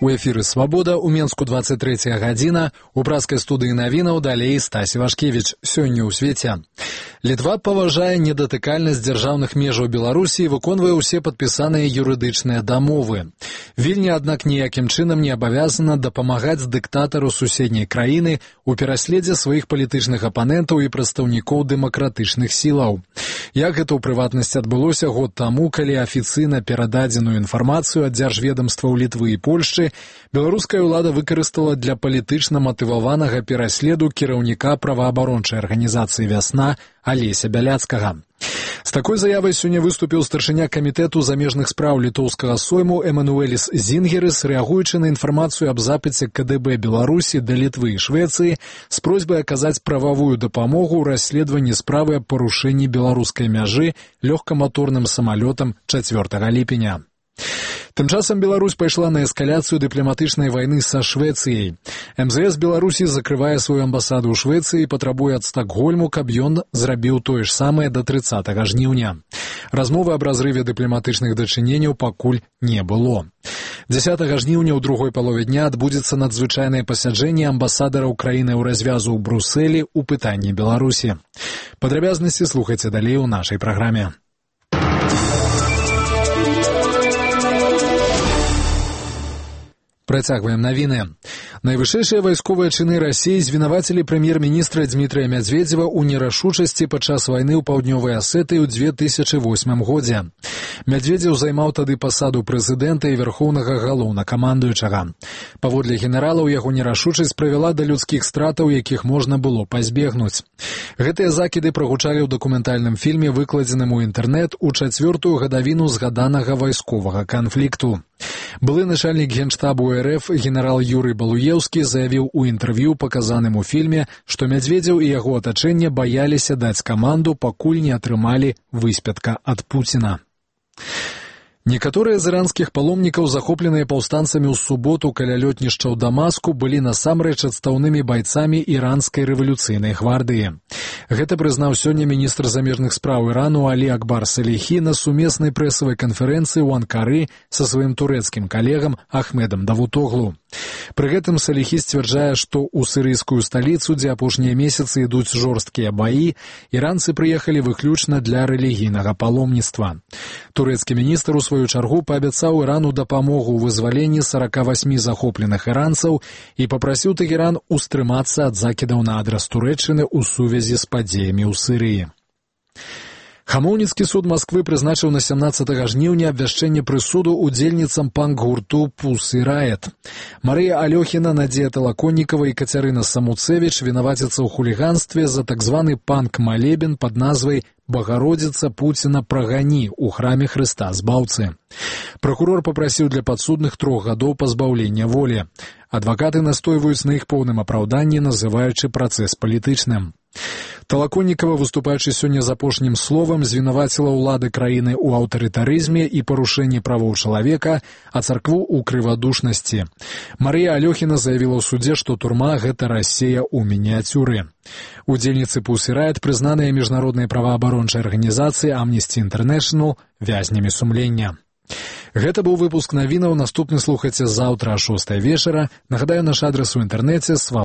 У эфіры «Свабода», у Менску 23 гадзіна, у праскай студыі навінаў далей Стась Івашкевіч. Сёння ў свеце. Літва паважае недатыкальнасць дзяржаўных межаў Беларусі і выконвае ўсе падпісаныя юрыдычныя дамовы. Вільня, аднак, ніякім чынам не абавязана дапамагаць дыктатару суседняй краіны у пераследзе сваіх палітычных апанентаў і прадстаўнікоў дэмакратычных сілаў. Як гэта ў прыватнасці адбылося год таму, калі афіцыйна перададзеную інфармацыю ад дзяржведамстваў Літвы і Польшчы беларуская ўлада выкарыстала для палітычна матываванага пераследу кіраўніка праваабарончай арганізацыі «Вясна» Алеся Бяляцкага. З такой заявай сёння выступіў старшыня камітэту замежных спраў літоўскага сойму Эмануэліс Зінгерыс, рэагуючы на інфармацыю аб запыце КДБ Беларусі да Літвы і Швецыі з просьбай аказаць прававую дапамогу ў расследаванні справы аб парушэнні беларускай мяжы лёгкаматорным самалётам 4 ліпеня. Тым часам Беларусь пайшла на эскаляцыю дыпламатычнай вайны са Швецыяй. МЗС Беларусі закрывае сваю амбасаду ў Швецыі і патрабуе ад Стакгольму, каб ён зрабіў тое ж самае да 30 жніўня. Размовы аб разрыве дыпламатычных дачыненняў пакуль не было. 10 жніўня ў другой палове дня адбудзецца надзвычайнае пасяджэнне амбасадараў краіны ў развязу ў Брусэлі ў пытанні Беларусі. Падрабязнасці слухайце далей у нашай праграме. Працягваем навіны. Найвышэйшыя вайсковыя чыны Расіі звінавацілі прэм'ер-міністра Дмітрыя Мядзведзева ў нерашучасці падчас вайны ў паўднёвай Асетыі ў 2008 годзе. Мядзведзеў займаў тады пасаду прэзідэнта і вярхоўнага галоўнакамандуючага. Паводле генералаў, яго нерашучасць прывяла да людскіх стратаў, якіх можна было пазбегнуць. Гэтыя закіды прагучалі ў дакументальным фільме, выкладзеным у інтэрнэт у 4-ю гадавіну згаданага вайсковага канфлікту. Былы начальнік генштабу РФ генерал Юрый Балуеўскі заявіў у інтэрв'ю, паказаным у фільме, што Мядзведзеў і яго атачэнне баяліся даць каманду, пакуль не атрымалі выспятка ад Пуціна. Некаторыя з іранскіх паломнікаў, захопленыя паўстанцамі ў суботу каля лётнішча ў Дамаску, былі насамрэч адстаўнымі байцамі іранскай рэвалюцыйнай гвардыі. Гэта прызнаў сёння міністр замежных спраў Ірану Алі Акбар Саліхі на сумеснай прэсавай канферэнцыі ў Анкары са сваім турэцкім калегам Ахмедам Давутоглу. Пры гэтым Саліхі сцвярджае, што ў сірыйскую сталіцу, дзе апошнія месяцы ідуць жорсткія баі, іранцы прыехалі выключна для рэлігійнага паломніцтва. Турэцкі міністр у сваю чаргу паабяцаў Ірану дапамогу ў вызваленні 48 захопленых іранцаў і папрасіў Тэгеран устрымацца ад закідаў на адрас Турэччыны ў сувязі з падзеямі ў Сірыі. Хамоўніцкі суд Масквы прызначыў на 17 жніўня абвяшчэнне прысуду удзельніцам панк-гурту «Пусы Райет». Марыя Алёхіна, Надзея Талаконнікава і Кацярына Самуцэвіч вінаваціцца ў хуліганстве за так званы панк-малебен пад назвай «Багародзіца Пуціна прагані» у храме Хрыста Збаўцы. Пракурор папрасіў для падсудных 3 гадоў пазбаўлення волі. Адвакаты настойваюць на іх поўным апраўданні, называючы працэс палітычным. Талаконнікава, выступаючы сёння з апошнім словам, звінаваціла ўлады краіны ў аўтарытарызме і парушэнні правоў чалавека, а царкву ў крывадушнасці. Марыя Алёхіна заявіла ў судзе, што турма — гэта Расія ў мініяцюры. Удзельніцы «Пусы Райет» прызнаныя міжнароднай праваабарончай арганізацыі Amnesty International вязнямі сумлення. Гэта быў выпуск навінаў. Наступны слухайце заўтра о 6 вечара. Нагадаю, наш адрас у інтэрнэце